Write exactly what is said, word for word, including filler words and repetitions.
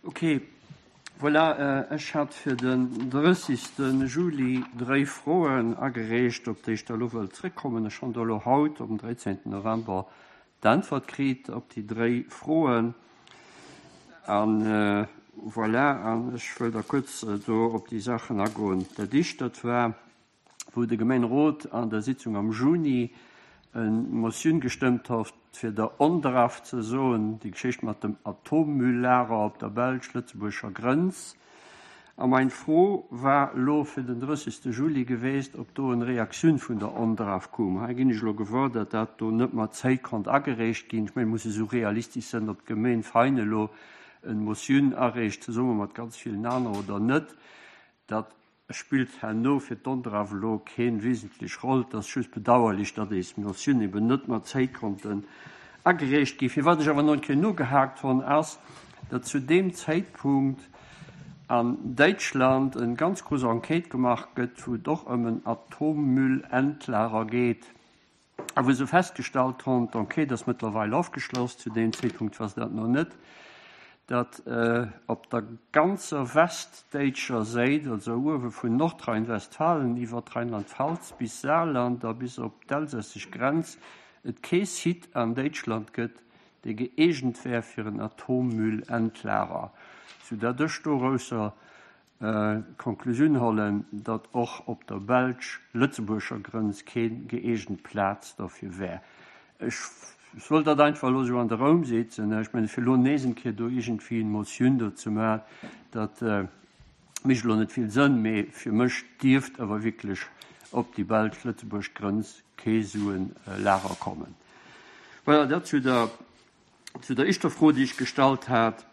Ok, voilà, ech hat fir den drëssigste Juli dréi Froen agereecht, op déi ech da lo wëll zréckkommen. Ech hunn do lo haut um dräizéngten November d'Äntwert kritt op déi dréi Froen. An voilà, an ech wëll da kuerz do op déi Saachen agoen. Dat éischt, dat war, wou de Gemeenerot an der Sitzung am Juni eng Motioun gestëmmt hat, fir der ONDRAF ze soen, déi Geschicht mat dem Atommülllager op der belsch-lëtzebuergescher Grënz. A mein Fro war elo fir den drëssigste Juli geweest, ob do eng Reaktioun vun der ONDRAF koum. Hei ginn ech elo gewuer, datt dat do net mat Zäit konnt agereecht ginn. Ech mengen, muss esou realistesch sinn, ob d'Gemeen Vein elo eng Motioun areecht, zesumme mat ganz villen aneren oder net. Dat spillt herno fir d'ONDRAF elo keng wesentlech Roll. Dat ass just bedauerlech, datt déi Motioun eben net mat Zäit konnten agereecht ginn. Firwat ech awer nach eng Kéier nogehakt hunn, ass, datt zu deem Zäitpunkt an Däitschland eng ganz grouss Enquête gemaach gëtt, wou et och ëm en Atommüllendlager geet, a wou se festgestallt hunn, d'Enquête ass mëttlerweil ofgeschloss, zu deem Zäitpunkt war se dat nach net, datt op der ganzer westdäitscher Säit, also uewe vun Nordrhein-Westfalen iwwer Rheinland-Pfalz bis Saarland a bis op d'elsässesch Grenz, et kee Site an Däitschland gëtt, dee gëeegent wär fir en Atommüllendlager, soudatt ech dorausser d'Konklusioun hollen, datt och op der belsch-lëtzebuergescher Grënz keen gëeegent Plaz dofir wär. Ech wollt dat einfach elo esou an de Raum setzen. Ech mengen, fir elo nees eng Kéier do iergendwéi eng Motioun do ze maachen, dat mécht elo net vill Sënn, mee fir mech dierft awer wierklech op déi belsch-lëtzebuergesch Grënz kee sou en Lager kommen. Voilà, dat zu der, zu der éischter Fro, déi ech gestallt hat.